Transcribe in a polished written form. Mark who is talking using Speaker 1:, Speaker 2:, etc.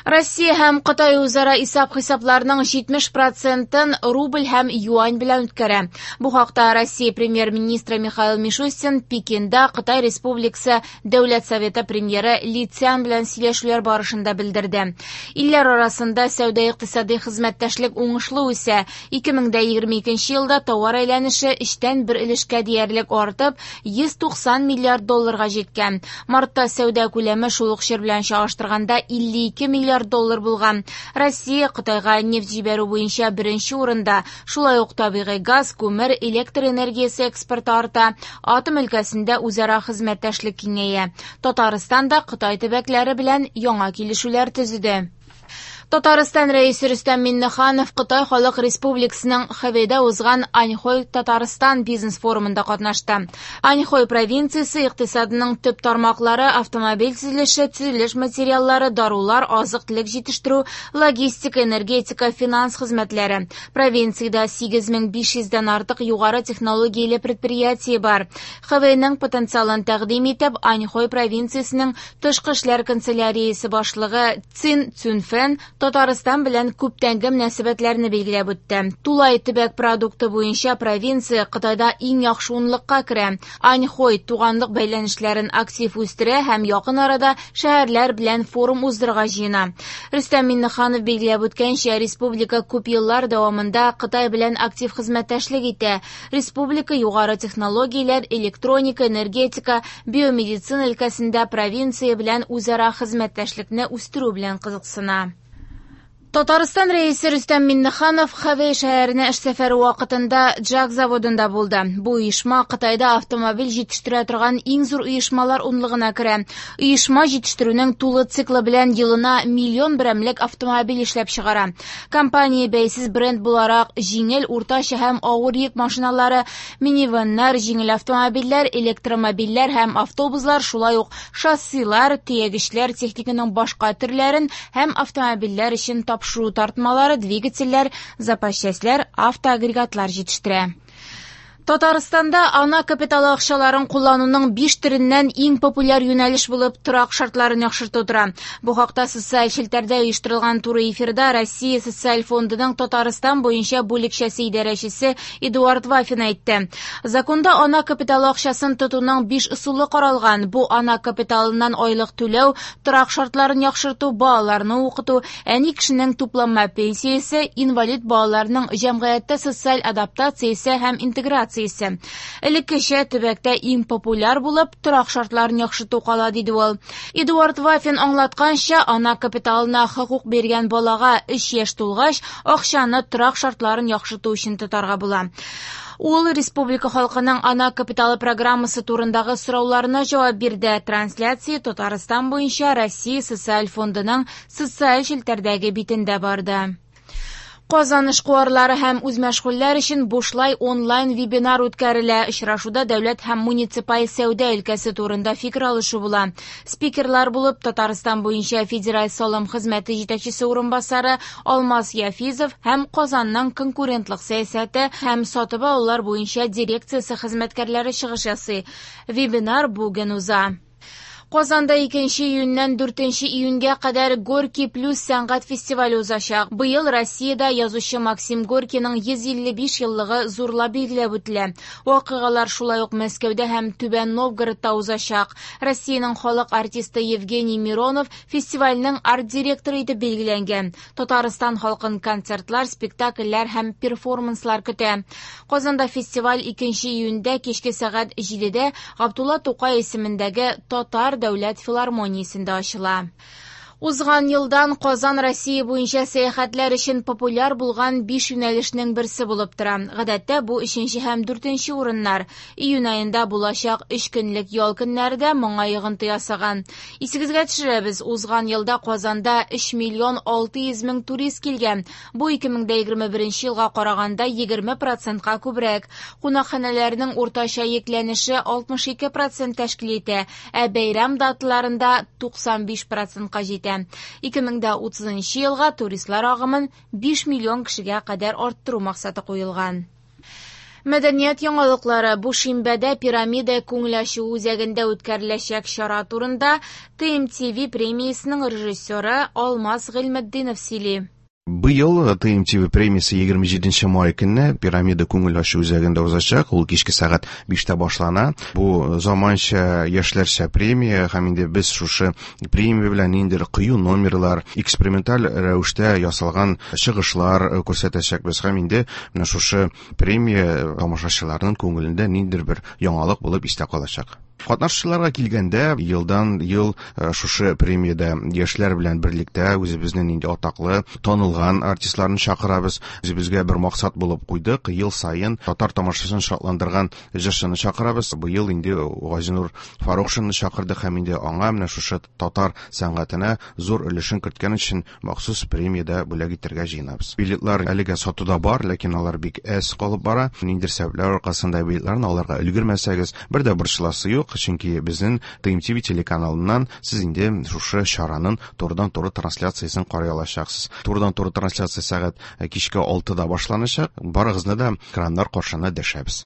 Speaker 1: Россия һәм Кытай үзара исәп-хисапларның 70 процентын рубль һәм юань белән үткәрә. Бу хакта Россия премьер-министры Михаил Мишустин Пекинда Кытай Республикасы Дәүләт Советы премьеры Ли Цян белән сөйләшүләр барышында белдерде. Илләр арасында сәүдә-икътисади хезмәттәшлек уңышлы үсә. 2022 елда товар әйләнеше өчтән бер өлешкә диярлек артып, 190 миллиард долларга җиткән. Мартта сәүдә күләме шул ук чор белән чагыштырганда 52 миллиард доллар булган. Россия Кытайга нефть җибәрү буенча беренче урында. Шулай ук табигый газ, күмер, электр энергиясе экспорты арта. Атом өлкәсендә үзара хезмәттәшлек киңәя. Татарстан да Кытай төбәкләре белән яңа килешүләр төзеде. Татарстан Рәисе Рөстәм Миңнеханов Кытай Халык Республикасының Хэбэйдә узган Аньхой Татарстан бизнес-форумында катнашты. Аньхой провинциясе икътисадының төп тармаклары автомобиль төзелеше, төзелеш материаллары, дарулар, азык-төлек җитештерү, логистика, энергетика, финанс хезмәтләре. Провинциядә 8500 дән артык югары технологияле предприятие бар. Хэбэйның потенциалын тәкъдим итеп, Аньхой провинциясенең тышкы эшләр канцеляриясе башлыгы Цин Цюнфэн Татарстан белән күптәнге мөнәсәбәтләрне билгеләп үтте. Тулай төбәк продукты буенча провинция Кытайда иң яхшы унлыкка керә. Аньхой туганлык бәйләнешләрен актив үстерә һәм якын арада шәһәрләр белән форум уздырырга җыена. Рөстәм Миңнеханов билгеләп үткәнчә, республика күп еллар дәвамында Кытай белән актив хезмәттәшлек итә. Республика югары технологияләр, электроника, энергетика, биомедицина өлкәсендә провинция белән үзара хезмәттәшлекне үстерү белән кызыксына. Татарстан Рәисе Рөстәм Миңнеханов Хэбэй шәһәренә эш сәфәре вакытында JAC заводында булды. Бу оешма Кытайда автомобиль җитештерә торган иң зур оешмалар унлыгына керә. Оешма җитештерүнең тулы циклы белән елына миллион берәмлек автомобиль эшләп чыгара. Компания бәйсез бренд буларак җиңел, уртача һәм авыр йөк машиналары, минивеннар, җиңел автомобильләр, электромобильләр һәм автобуслар, шулай ук шассилар, төягечләр, техниканың башка төрләрен һәм автомобильләр өчен тапшыру тартмалары, двигательләр, запас частьләр, автоагрегатлар җитештерә. Татарстанда ана капиталы акчаларын куллануның 5 төреннән иң популяр юнәлеш булып торак шартларын яхшырту тора. Бу хакта социаль челтәрдә оештырылган туры эфирда Россия социаль фондының Татарстан буенча бүлекчәсе идарәчесе Эдуард Вафин әйтте. Законда ана капиталы акчасын тотуның 5 ысулы каралган. Бу ана капиталыннан айлык түләү, торак шартларын яхшырту, балаларны укыту, әни кешенең тупланма пенсиясе, инвалид балаларның җәмгыятьтә социаль адаптациясе һәм интеграциясе. Элеккечә төбәктә иң популяр булып торак шартларын яхшырту кала, диде ул. Эдуард Вафин аңлатканча, ана капиталына хокук биргән балага 3 яшь тулгач, акчаны торак шартларын яхшырту өчен тотарга була. Ул республика халкының ана капиталы программасы турындагы сорауларына җавап бирде. Трансляция Татарстан буенча Россия социаль фондының социаль челтәрдәге битендә барды. Казан эшкуарлары һәм үзмәшгульләр өчен бушлай онлайн вебинар үткәрелә. Очрашуда дәүләт һәм муниципаль сәүдә өлкәсе турында фикер алышу була. Спикерлар булып Татарстан буенча Федераль салым хезмәте җитәкчесе урынбасары Алмаз Яфизов һәм Казанның конкурентлык сәясәте һәм сатып алулар буенча дирекциясе хезмәткәрләре чыгыш ясый. Вебинар бүген уза. Казанда 2 июньнән 4 июньгә кадәр Горький плюс сәнгать фестивале узачак. Быел Россиядә язучы Максим Горькийның 155 еллыгы зурлап билгеләп үтелә. Вакыйгалар шулай ук Мәскәүдә һәм Түбән Новгородта узачак. Россиянең халык артисты Евгений Миронов фестивальнең арт-директоры итеп билгеләнгән. Татарстан халкын концертлар, спектакльләр һәм перформанслар көтә. Казанда фестиваль 2 июньдә кичке сәгать 7-дә Габдулла Тукай исемендәге Татар дәүләт филармониясендә ачыла. Узган елдан Казан Россия буенча сәяхәтләр өчен популяр булган 5 юнәлешнең берсе булып тора. Гадәттә бу 3 һәм 4 урыннар. Июнь аенда булачак 3 көнлек ял көннәре дә моңа йогынты ясаган. Исегезгә төшерәбез, узган елда Казанда 3 миллион 600 мең турист килгән. Бу 2021 елга караганда 20%-ка күбрәк. Кунакханәләрнең уртача йөкләнеше 62% тәшкил итә, ә бәйрәм даталарында 95%-ка җитә. 2030 елга туристлар агымын 5 миллион кешегә кадәр арттыру максаты куелган. Мәдәният яңалыклары. Бу шимбәдә Пирамида күңел ачу үзәгендә үткәреләчәк чара турында ТМТВ премиясенең режиссеры Алмаз Гыйльметдинов сөйли.
Speaker 2: Быел ТМТВ премиясе 27 май көнне Пирамида күңел ачу үзәгендә узачак. Ул кичке сәгать 5тә башлана. Бу заманча яшьләрчә премия һәм инде без шушы премия белән ниндидер кыю номерлар, эксперименталь рәвештә ясалган чыгышлар күрсәтәчәкбез һәм инде менә шушы премия тамашачыларның күңелендә ниндидер бер яңалык булып истә калачак. Катнашучыларга килгәндә, елдан ел шушы премиядә яшьләр белән берлектә үзебезнең инде атаклы, танылган артистларны чакырабыз. Үзебезгә бер максат булып куйдык, ел саен татар тамашасын шатландырган җырчыны чакырабыз. Быел инде Газинур Фарукшинны чакырдык һәм инде аңа менә шушы татар сәнгатенә зур өлешен керткән өчен махсус премиядә бүләк итәргә җыенабыз. Билетлар әлегә сатуда бар, ләкин алар бик әз калып бара. Ниндидер сәбәпләр аркасында билетларны алырга өлгермәсәгез, бер дә борчыласы юк, чөнки безнең ТМТВ телеканалыннан сез инде шушы чараның турыдан-туры трансляциясен карый алачаксыз. Турыдан-туры трансляция сәгать кичке 6-да башланачак. Барыгызны да экраннар каршына дәшәбез.